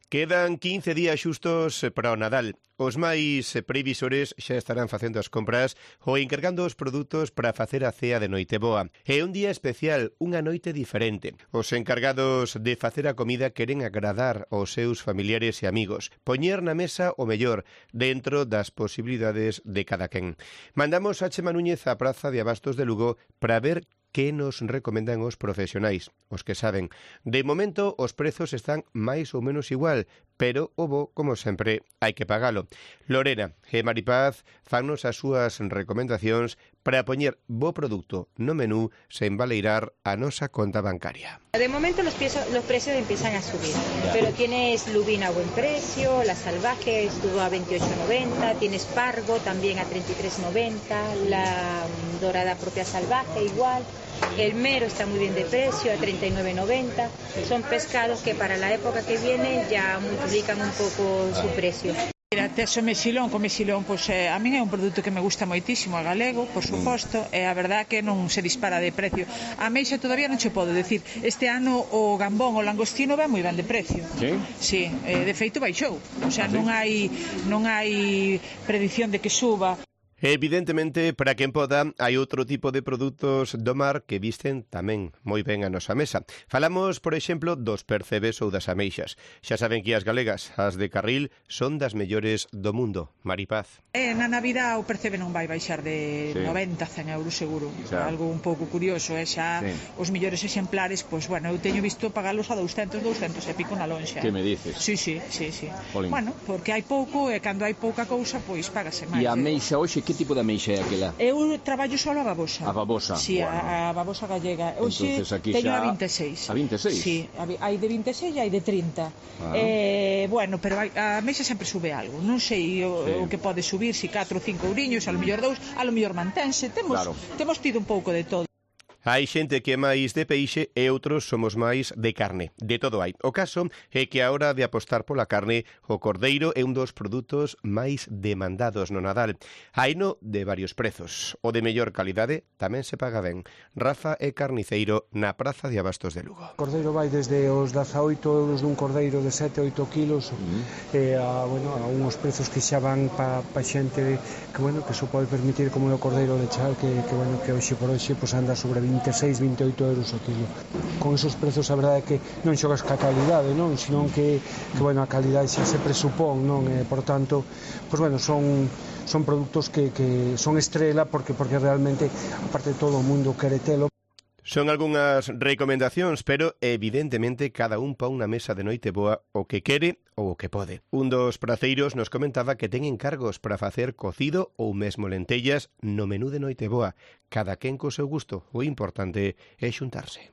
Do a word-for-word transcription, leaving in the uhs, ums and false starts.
Quedan quince días xustos para o Nadal. Os máis previsores xa estarán facendo as compras ou encargando os produtos para facer a cea de Noiteboa. É un día especial, unha noite diferente. Os encargados de facer a comida queren agradar aos seus familiares e amigos, poñer na mesa o mellor dentro das posibilidades de cada quen. Mandamos a Chema Núñez á Praza de Abastos de Lugo para ver que nos recomendan os profesionais, os que saben. De momento, os prezos están máis ou menos igual, pero o bo, como sempre, hai que pagalo. Lorena e Maripaz fannos as súas recomendacións para poñer bo produto no menú sen baleirar a nosa conta bancaria. De momento los, precios, los precios empiezan a subir, pero tienes lubina a buen precio, la salvaje estuvo a veintiocho noventa, tienes pargo también a treinta y tres noventa, la dorada propia salvaje igual. El mero está muy bien de precio, a treinta y nueve noventa. Son pescados que para la época que viene ya multiplican un poco su precio. Mira, tes o mexilón, co mexilón, pois, eh, a min é un produto que me gusta moitísimo, a galego, por suposto, e a verdad que non se dispara de precio. A meixa todavía non che podo decir, este ano o gambón, o langostino vai moi ben de precio. Sí? Sí, eh, de feito baixou, o sea, non hai, non hai predición de que suba. Evidentemente, para quen poda, hai outro tipo de produtos do mar que visten tamén moi ben a nosa mesa. Falamos, por exemplo, dos percebes ou das ameixas. Xa saben que as galegas, as de carril, son das mellores do mundo. Maripaz. Eh, na Navidad o percebe non vai baixar de sí. noventa a cen euros seguro. Xa. Algo un pouco curioso, é eh? xa sí. Os mellores exemplares, pois, bueno, eu teño visto pagalos a douscentos, douscentos e pico na lonxa. Que me dices? Sí, sí, sí, sí. Jolín. Bueno, porque hai pouco e cando hai pouca cousa, pois págase máis. E a ameixa hoxe, que tipo de ameixa é aquela? Eu traballo só a babosa. A babosa? Sí, bueno. a, a babosa gallega. Hoxe teño xa... a vinte e seis. A vinte e seis? Sí, hai de vinte e seis e hai de trinta. Ah. Eh, bueno, pero a ameixa sempre sube algo. Non sei o, sí. o que pode subir, si catro ou cinco ouriños, a lo mellor dous, a lo mellor mantense. Temos, claro. temos tido un pouco de todo. Hai xente que é máis de peixe e outros somos máis de carne. De todo hai. O caso é que a hora de apostar pola carne, o cordeiro é un dos produtos máis demandados no Nadal. Haino de varios prezos. O de mellor calidade tamén se paga ben. Rafa é carniceiro na Praza de Abastos de Lugo. O cordeiro vai desde os dezaoito euros dun cordeiro de sete a oito kilos mm. e a, bueno, a unhos prezos que xa van pa, pa xente que, bueno, que se pode permitir como é o cordeiro de chal que, que, bueno, que hoxe por hoxe pues, anda sobre vinte e seis, vinte e oito euros o kilo. Con esos prezos a verdade é que non xogas ca calidade, non, senón que, que bueno, a calidade xa se presupón, non, e por tanto, pues bueno, son son produtos que, que son estrela porque porque realmente aparte de todo o mundo quere telo. Son algunhas recomendacións, pero evidentemente cada un pon na mesa de Noiteboa o que quere ou o que pode. Un dos praceiros nos comentaba que ten encargos para facer cocido ou mesmo lentellas no menú de Noiteboa. Cada quen co seu gusto, o importante é xuntarse.